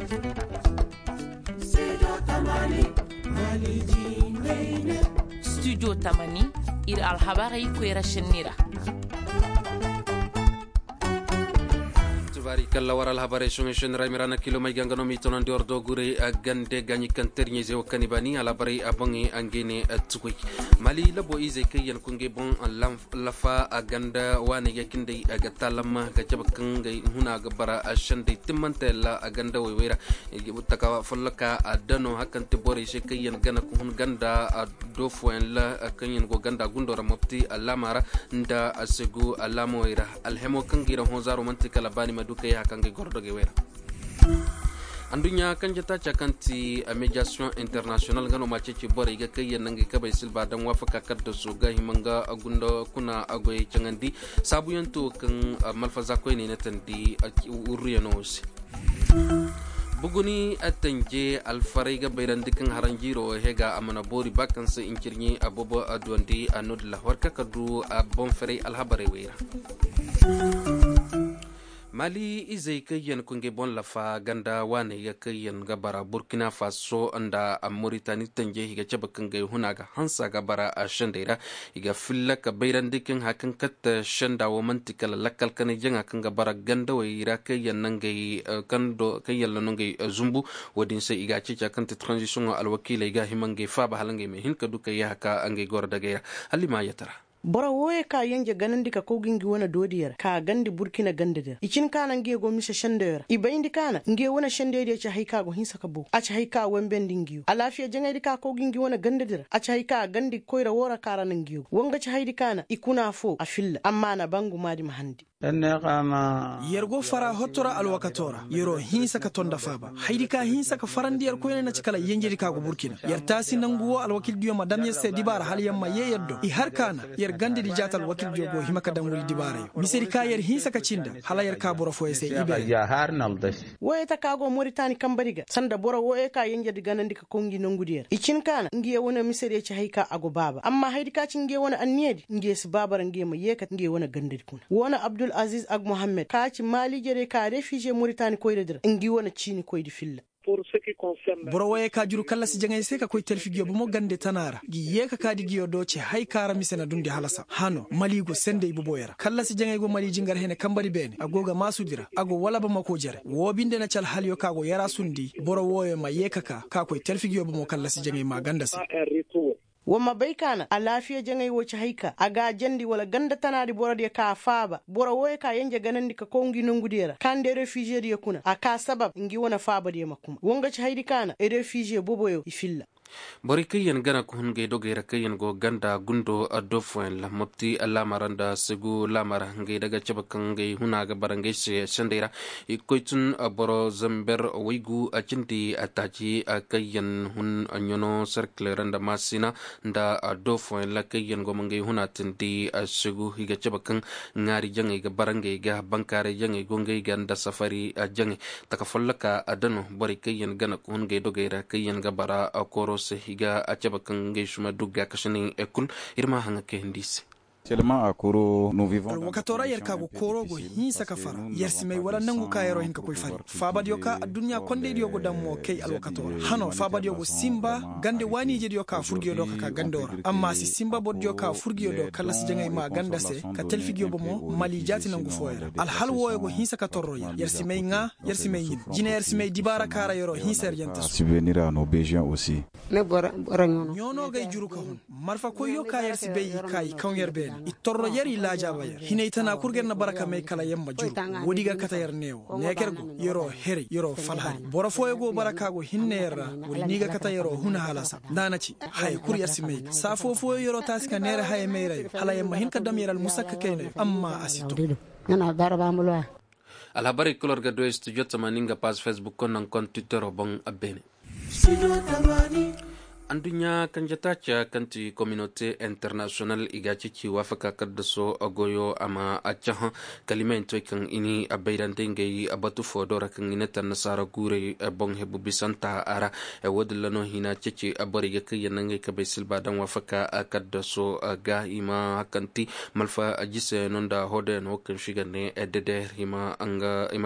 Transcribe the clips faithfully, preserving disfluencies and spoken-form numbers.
Studio tamani, ir alhabarey koyra šenni ra. Tubaari kalla war alhabarey soŋey šenni ra mira na kilo may ganga no m'i tonandi war doogurey gande gaaɲi kaŋ terɲey ze wo kaŋ i baani alhabarey a boŋey ngey ne. Tukoy mali labo izey kaŋ yaŋ kungey boŋ lafa a ganda waaney ga kinday ga taalamma ga cabe kaŋ ngey huna ga bara sendey timmante la a ganda wayway ra. Taka folloka a dano hakanti borey se kaŋ yaŋ gana ka hun ganda a do fooyaŋ la kaŋ yaŋ go ganda gundo ra mopti alaama ra nda a segu alaamawey ra. Alhemo kaŋ ga i ra hõ zaaro man'ti kala baani ma du kay haka ngey goro dogey wey ra. Anduɲɲa kanje taaca kaŋ ti a mediyasiyoŋ internasiyonal nga no ma ceeci borey ga kay yaŋ na ngey kabey silba daŋ waafaka kaddasu ga hima nga gunda kuna goyey caŋandi. Saabuyaŋ to kaŋ malfaza koyney na tandi wurriyano wo se. Buguni tanje alfaray ga bayrandi kaŋ haranjiiro hega a mana boori ba kaŋ se incirɲi a boobo a duwandi a no-din la war ka ka du a boŋ ferey alhabarey wey ra. Mali izey kaŋ yaŋ kungey boŋ lafa ganda waaney ga kaŋ yaŋ ga bara burkina faso nda moritani tanjey i ga cabe kaŋ gay huna ga hansa ga bara a sendey ra. I ga filla ka bayrandi kaŋ haya kaŋ katte senda wo man'ti kala lakkal kanay jaŋa kaŋ ga bara gandawey ra kaŋ yaŋ na ngey kaŋ do kaŋ yaŋ na no ngey zumbu. Wo-din se i ga a ceeci a kaŋ ti tranzisiyoŋo alwakiiley ga hima ngey faaba hala ngey ma hin ka du ka yee haka ngey goro dagey ra. Hala i ma a yatara. Boro wooyey ka yanje ganandi ka kow ga ngi wane doodiyo ra ka gandi burkina gandadi ra i cin ka na ngiyo go mise sendeyo ra i bayndi ka na ngiyo wane sendeydiyo ci hay ka go hinsa ka bow a ci hay ka wembendi ngiyo alaafiya jaŋaydi ka kow ga ngi wane gandadi ra a ci hay ka gandi koyra woo ra ka ra na ngiyo go woo nga ci haydi ka na i kuna foo a filla amma a na ba ngumaadi ma handi. Yer go fara hotto ra alwakato ra yer'o hinsa ka ton nda faaba haydi ka hinsa ka farandi yer koyne na ci kala yenjedi ka go burkina yer taasi nangu woo alwakildiyo ma dam yer se dibaara hala yer ma yee yer do i har ka na yer gandedi jaata alwakildiyo go hima ka dam woy dibaarayo misedi ka yer hinsa ka ci nda hala yer ka boro fooyo se i beene. Wooyo taka go moritani kambadi ga sanda boro wooyo ka yenjedi ganandi ka kow ngi nongudiyo ra i cin ka na ngiyo wane misediyo ci hay ka a go baaba amma haydi ka ci ngiyo wane anniyadi ngiyo si baaba ra ngiyo ma yeekat ngiyo wane gandadi kuna woo na abdul aziz agmohammed ka ci maaliijediyo ka refize moritani koyradi ra ngi wane ciinikoydi filla. Boro wooyo ka juru kallasi jaŋay se ka koy talfi ngiyo bomo gande tana ra ngi yeeka kaadi ngiyo do ci hay ka ra mise na dundi halasa hano mali go sendey boboyo ra kallasi jaŋay go mali jingar hene kambadi beene a go ga maasudi ra a go wala bamako jere woo binde na ci alhaliyo ka go yaraasundi boro wooyo ma yeeka ka ka koy talfi ngiyo bomo kallasi jaŋay ma ganda se. Wa ma bay ka na alaafiya jaŋay wo ci hay ka a ga a jandi wala ganda tanaadi borodiyo ka a faaba boro wooyo ka yenje ganandi ka kow ngi nongudiyo ra ka nda refiizediyo kuna a ka sabab ngi wane faabadiyo ma kuma woo nga ci haydi ka na refiize boboyo i filla. Borey kaŋ yaŋ gana ka hun ngey dogey ra kaŋ yaŋ go ganda gundo addo fooyaŋ la mopti laamara nda segu laamara ngey daga cabe kaŋ ngey huna ga bara ngey se sendey ra. I ga koy tun boro zamber waygu a cindi a taaci kaŋ yaŋ hun ɲano serkiley ra nda maasina nda addo fooyaŋ la kaŋ yaŋ go ma ngey huna tindi segu i ga cabe kaŋ ŋaari jaŋey ga bara ngey ga bankaaray jaŋey go ngey ga nda safari jaŋey taka folloka adano borey kaŋ yaŋ gana ka hun ngey dogey ra kaŋ yaŋ ga bara kooro se i ga a cabe kaŋ ngey suma dugga kasaney kul. Ir ma haŋa kayandi i se. Alwakato ra yer ka go kooro go hinsa ka fara yer si may wala nangu ka yer'o hin ka koy fari faabadiyo ka adduɲɲa kondaydiyo go daŋ mo kay alwakato ra hano faabadiyo go sinba gande waaniijediyo ka furgiyo do ka ka gando ra amma a si sinba bordiyo ka furgiyo do kallasi jaŋay ma ganda se ka talfigiyo bomo mali jaati nangu fooyo ra alhal wooyo go hinsa ka torro yer yer si may ŋaa yer si may ɲin jine yer si may dibaara ka ra yer'o hinsa yer yanta su. Ɲoono gay juru ka hun marfa koyyo ka yer si bay i ka i kaw yer beene i torro yer i laajaaba yer hinay tana kul ga yer na bara ka may kala yer ma juru woodi ga kate yer neewo neeker go yer'o heray yer'o falhari boro fooyo go bara ka go hinne yer ra woodi ni ga kate yer'o huna halasa nda a na ci haya kul yer si may ga saa foo fooyo yer'o taasi ka neera haya mayrayo hala yer ma hin ka dam yer almusakka kaynayo amma a si to. Alhabarey kul war ga du studio tamaani nga paaz facebook konda nga konda twittero boŋ a beene. Adduɲɲa kanje taaca kaŋ ti kominote internasiyonal i ga a ceeci waafaka kaddaso goyo a ma a cahã. Kalimayantoy kaŋ i ni a bayrandi ngey batu fo do ra kaŋ i ne ta annasaara guurey boŋ hebu bisanta a ra. Wo- din ra no hina ceeci borey ga kaŋ yaŋ na ngey kabey silba daŋ waafaka kaddaso ga i ma hakanti malfa jiseyano nda hodoyano kaŋ si ga ne deder i ma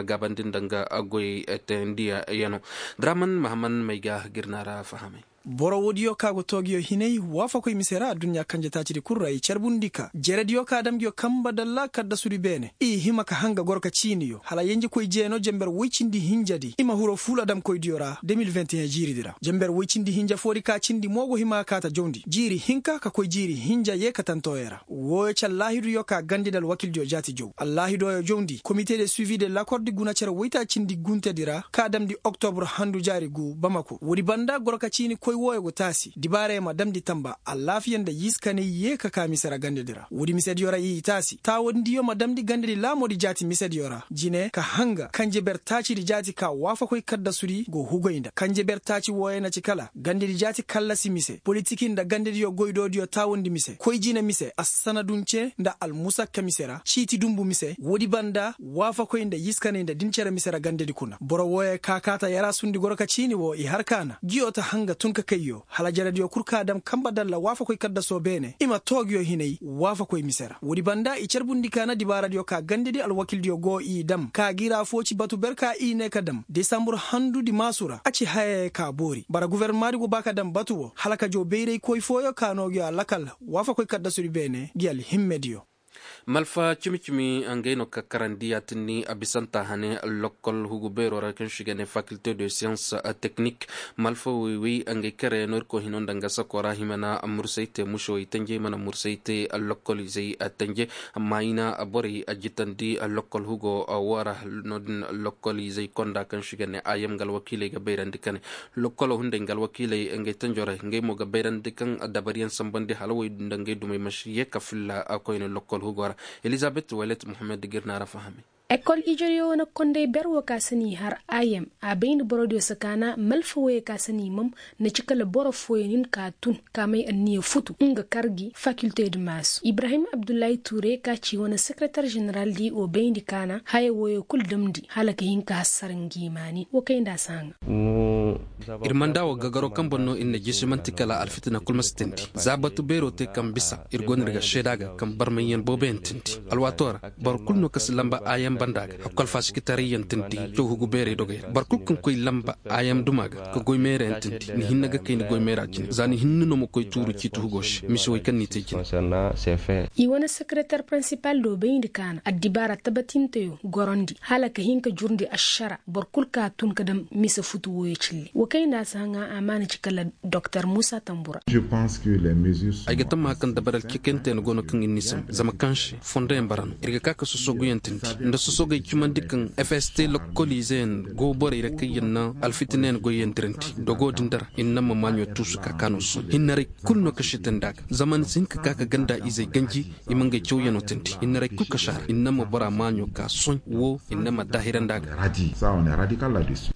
gaabandi nda nga goyey teyandiyaŋo. Draman mahaman may ga girna ra fahamay. Boro woodiyo ka go toogiyo hinay waafakoy mise ra adduɲɲa kanje taacidi kul ra i carbundi ka jerediyo ka dam nguyo kamba dalla kaddasudi beene i hima ka hanga goro ka ciiniyo hala yenjekoy jeeno jember woy cindi hinjadi i ma hiro fuula damkoydiyo ra de mil vingt et un jiiridi ra jember woy cindi hinja foodi ka cindi mo go hima ka kaa ta jawndi jiiri hinka ka koy jiiri hinja yee ka tantooyey ra. Wooyo ci allaahiduyo ka gandedi alwakildiyo jaati jaw allaahidooyo jawndi komite de suivi de lakordi guna cere woytaacindi guntedi ra ka damndi oktobur handu jaari gu bamako woodi banda goro ka ciini koy wooyo go taasi dibaarayo ma damndi tamba allaafiya nda yiskaney yee ka kaa mise ra gandedi ra woodi misediyo ra i taasi taawandiyo ma damndi gandedi laamoodi jaati misediyo ra jine ka hanga kanje ber taacidi jaati ka waafakoy kaddasudi go hugoy nda kanje ber taaci wooyo na ci kala gandedi jaati kallasi mise politiki nda gandediyo goydoodiyo taawandi mise koy jine mise assanadunce nda almusakka mise ra ciiti dunbu mise woodi banda waafakoy nda yiskaney nda din cere mise ra gandedi kuna boro wooyo ka kaata yaraasundi goro ka ciini woo i har kaana nguyo ta hanga tun ka kayyo hala jerediyo kul ka dam kamba dalla waafakoy kaddasoo beene i ma too nguyo hinay waafakoy mise ra woodi banda i carbundi kaana dibaaradiyo ka gandedi alwakildiyo go i dam ka gi ra foo ci batu ber ka i ne ka dam desambur handudi maasu ra a ci hayey ka boori bara gofornomaadi go ba ka dam batu woo hala ka jaw bayraykoy fooyo ka noo nguyo alakal waafakoy kaddasudi beene ngi alhimmediyo. Malfa cimi-cimi ngey no ka karandi yaatinni a bisanta hane lokkol hugu beeroo ra kaŋ se i ga ne fakilte de siyans teknik. Malfa woy-woy ngey kere no ir koy hino nda nga sakoo ra hima na mursay te mušewey tenje i mana mursay te lokkol izey tenje. Amma i na borey jitandi lokkol hugo woo ra no- din lokkol izey konda kaŋ se i ga ne a yam nga alwakiiley ga bayrandi ka ne lokkolo hunday nga alwakiiley ngey tenjorey ngey mo ga bayrandi kaŋ dabariyaŋ sambandi hala wey nda ngey dumey ma si yee ka filla koyne lokkol hugo ra. Elizabet welet muhammed ga ir na ra fahami. Ekol ijediyo na konday ber woo ka se n'i har a yam a bay nda borodiyo se kaana malfa woyey ka se n'i mam na ci kala boro fooyaŋ hin ka tun ka may anniya futu nga kar gi fakilte di maasu ibrahim abdullahi tuure ka ci wane sekereter ženeraldi woo bayndi kaana haya woyoo kul damndi hala ka hin ka hassara ngi maani woo kay nda a si haŋa. Ir manda woo gagaro kaŋ boŋ no ir na jisi man'ti kala alfitina kul ma si teendi za batu beeroo te kaŋ bisa ir go no ir ga seeda ga kaŋ barmayyaŋ booboyaŋ teendi alwaatoo ra boro kul no ka si lamba aayaŋ banda ga hakku alfaasikitaray yaŋ teendi cawhugu beeray dogey ra boro kul kaŋ koy lamba aayaŋ duma ga ka goy meera yaŋ teendi ni hinne ga kay ni goy meera jine za ni hinne no ma koy tuuru ciiti hugoo se mise wey kaŋ n'i te jine. I wane sekereter pirinsipal do bayndi kaana addibaara tabatinteyo gorondi hala ka hin ka jurndi ašara boro kul ka tun ka dam mise futu wooyo cilli woo kay nda a si haŋa amaana ci kala doktor muusa tambura. Ay ga tammaha kaŋ dabaral cekentey no go no kaŋ ir n'i sambu zama kaŋ se fondoyaŋ bara no ir ga ka ka sosoguyaŋ tindi nda sosogey cimandi kaŋ fst lokkoliizeyaŋ go borey ra kaŋ yaŋ na alfitinayaŋ goyyaŋ dirandi dogo din dara ir na ma maaɲo tuusu ka ka no sohõ hinnaray kul no ka sitandi a ga zama ni si hin ka ka ka ganda izey ganji i ma ngey cawyaŋo tindi hinnaray kul ka si a ra ir na ma bora maaɲo ka sohõ woo ir na ma daahirandi a ga.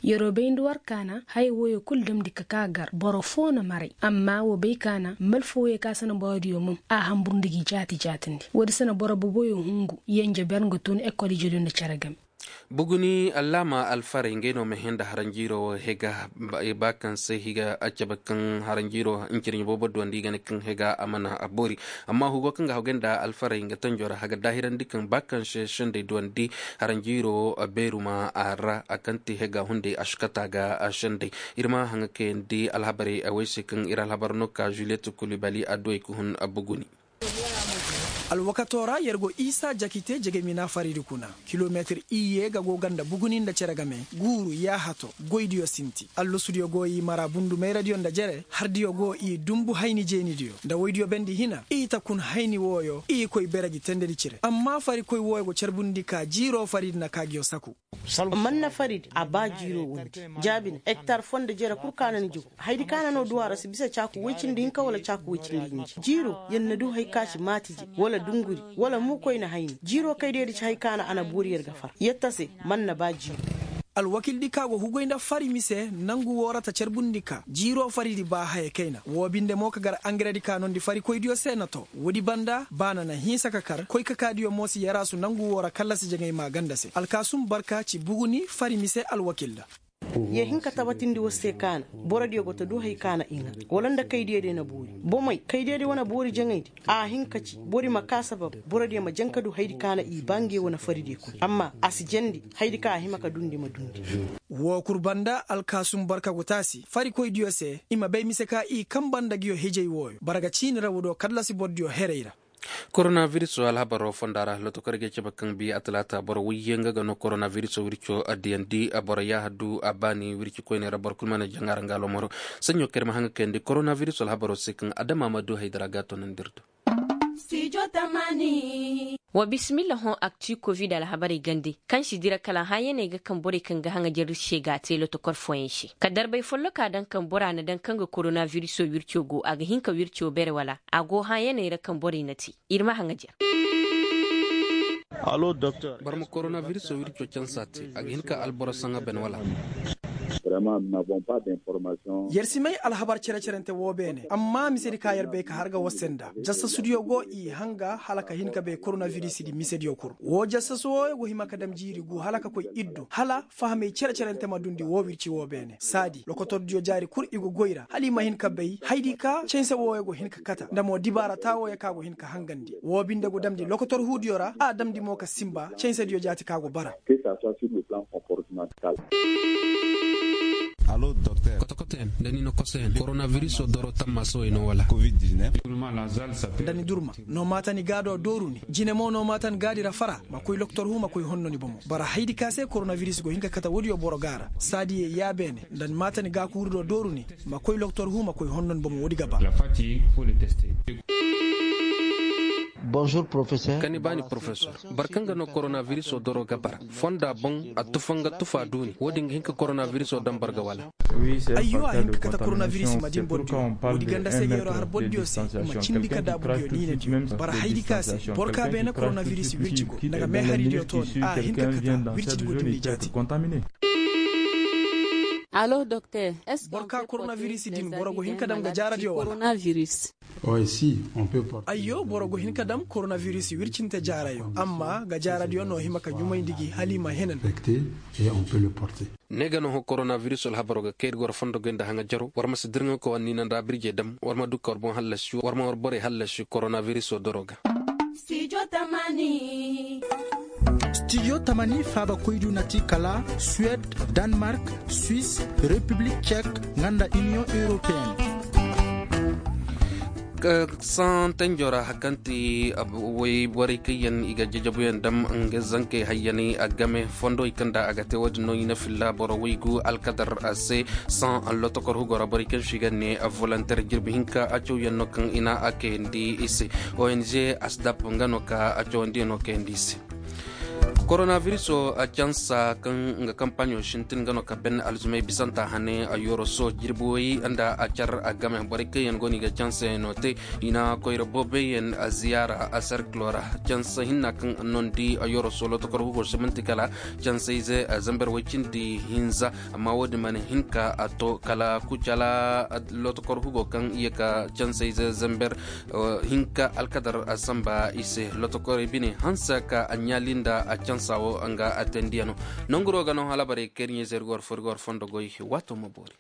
Yeroo bayndi war kaana haya wooyo kul damndi ka ka gar boro foo na maray amma wa bay kaana malfa wooyo ka se na borodiyo mum a hanbur nda gi jaati jaatindi woodi se na boro boboyo hungu yenje ber nga tun ekol ijediyo nda cere game. Buguni allaama alfarey ngey no ma hẽ nda haranjiiroo hega ba kaŋ se higa a cabe kaŋ haranjiiroo hincirɲe boobo duwandi i ga ne kaŋ hega a mana a boori. Amma hugo kaŋ ga hagay nda alfarey nga tanjo ra haga daahirandi kaŋ ba kaŋ se sendey duwandi haranjiiroo beeru ma a ra a kaŋ ti hega hunday a si kate a ga sendey. Ir ma haŋa kayandi alhabarey a way se kaŋ ir alhabar no ka juliyet kulibali a duwey ka hun buguni. Alwakatoo ra yer go isa jakite jegemi na faridi kuna kilometir iyye ga go ganda buguni nda cere game guuru yaahato goydiyo sinti allasudiyo go i mara bundu mayradiyo nda jere hardiyo go i dumbu hayni jeenidiyo nda woydiyo bendi hina i ta kun hayni wooyo i koy bere gi tendedi cire amma farikoy wooyo go carbundi ka jiiroo faridi na ka giyo saku. Man na faridi a ba jiiroo wondi jaabi na ektar foo nda jere kul ka na ni jow. Haydi ka na no du a ra si bisa caaku woy cindi hinka wala caaku woy cindi hinja jiiroo yer na du hay ka si maatije wala dunguri wala muukoyna hayni jiiroo kay deedi ci hay ka na a na boori yer ga far yer ta se. Man na ba jiiroo. alwakildi ka go hugoy nda fari mise nangu woo ra ta carbundi ka jiiroo faridi ba haya kayna woo binde mo ka gar angaredi ka noondi farikoydiyo se na too woodi banda ba na na hinsa ka kar koykakaadiyo mo si yaraasu nangu woo ra kallasi jaŋay maaganda se alkaasum barka ci buguni fari mise alwakil ra. Ye hin ka tabatindi war se kaana borodiyo go ta du hay kaana i ŋaa wala nda kaydiyo day na boori bomey kaydiyo day wane boori jaŋaydi a hin ka ci bori ma ka sabab borodiyo ma jaŋ ka du haydi kaana i baa nge wane faridiyo kul amma a si jandi haydi ka a hima ka dundi ma dundi. Woo kul banda alkaasum barka go taasi farikoydiyo se i ma bay mise ka i kanba nda nguyo hijay wooyo bara ga ciini ra woo do kallasi borodiyo heray ra. Koronabiriso alhabaroo fonda ra lotokor ga ay cabe kaŋ bi a talaata boro wayye nga ga no koronabiriso wirco a diyandi a boro yaaha du a baani wirci koyney ra boro kul mana jaŋ a ra nga alomoro. Saɲɲo kaŋ ir ma haŋ ga kayandi koronabiriso alhabaroo se kaŋ adama ma du haydara ga a tonandi ir do. Wa bisimilla hõ akti kovid alhabarey gande kaŋ si dira kala hãyaney ga kaŋ borey kaŋ ga haŋajer se ga a te lotokor fooyaŋ se ka darbay folloka daŋ kaŋ bora na daŋ kaŋ ga koronabiriso wirco go a ga hin ka wirco bere wala a go hãyaney ra kaŋ borey na te. Ir ma haŋajer. Boro ma koronabiriso wirco cansa te a ga hin ka alboro saŋa ben wala? Yer si may alhabar cere-cerente woo beene amma misedi ka yer bay ka har ga war se nda jasasudiyo go i hanga hala ka hin ka bay koronabirisidi misediyo kul woo jasasu wooyo go hima ka dam jiiri gu hala ka koy iddu hala fahamey cere-cerente ma dundi woo wirci woo beene saadi lokotordiyo jaari kul i go goy ra hala i ma hin ka bay haydi ka canse wooyo go hin ka kata nda mo dibaara taa wooyo ka go hin ka hangandi woo binde go damndi lokotor huudiyo ra a damndi mo ka sinba cansediyo jaati ka go bara. Kotokotoyaŋ nda ni na kosoyaŋ koronabirisoo doro tammaasawey no wala? Nda ni durma no maata ni gaadoo dooru ni jine mo no maata ni gaadi ra fara ma koy lokotor huu ma koy honno ni bomo bara haydi ka se koronabiris go hin ka kate woodiyo boro ga ra saadiye yaabeene nda ni maata ni gaakuurudoo dooru ni ma koy lokotor huu ma koy honno ni bomo woodi ga ba. Kani baani porofesor boro kaŋ ga no koronabirisoo doro ga bara fonda boŋ a tufa nga tufa duuni woodin ga hin ka koronabirisoo daŋ boro ga wala? Ayyo a hin ka kate koronabiris ma din bordiyo woodi ganda se ga yeroo har bordiyo se ma cindi ka daabudiyo niinediyo bara haydi ka se boro ka beene koronabiris wirci go nda ga meeharidiyo tooni a hin ka kate wircidi go dumi jaati. Boro ka koronabiris din boro go hin ka daŋ ga jaaradiyo wala? Ayyo boro go hin ka dam koronabiris wircinte jaarayo amma ga jaaradiyo no hima ka ɲumayndi gi hala i ma henan. Ne ga no hõ koronabiris alhabaroo ga kay ir go ra fondo goy nda haŋa jaro war ma si dirŋa koy war niina nda birjey dam war ma du ka war boŋ hallasi war ma war borey hallasi koronabirisoo doroo ga. Stijo tamani faaba koydu na ti kala suwed, danmark, swis, repiblik cek, nga nda iniyoŋ europeen. Saŋ tenjoo ra hari kaŋ ti wayborey kaŋ yaŋ i ga jajabuyaŋ dam nga zankey hayyaney a game fondo i kaŋ nda a ga te wo-din no i na filla boro waygu alkadar se. Saŋ lotokor hugo ra borey kaŋ se i ga ne volonter jirbi hinka a cawyaŋ no kaŋ i na a kayandi i se. Ong asdap nga no ka a cawandiyaŋo kayandi i se. Koronabirisoo cansa kaŋ nga kampaɲo sintin nga no ka ben alzumey bisanta hane a yoroso jirbi way nda a car a game borey kaŋ yaŋ go no i ga cansayaŋo te. I na koyra booboyaŋ ziyaara a serkiloo ra. Cansa hinna kaŋ noondi a yoroso lotokor hugo se man'ti kala cansayze zamber way cindi hinza. Amma wo-din mana hin ka a to kala kucala lotokor hugo kaŋ ye ka cansayze zamber hinka alkadar samba i se lotokorey bine hanse ka a ɲaali nda a cansa wo nga a tendiyaŋo. Nanguroo ga no halabarey kaŋ ir ɲa-ize ir go war fo ir go war fondo goy. Waatoo ma boori.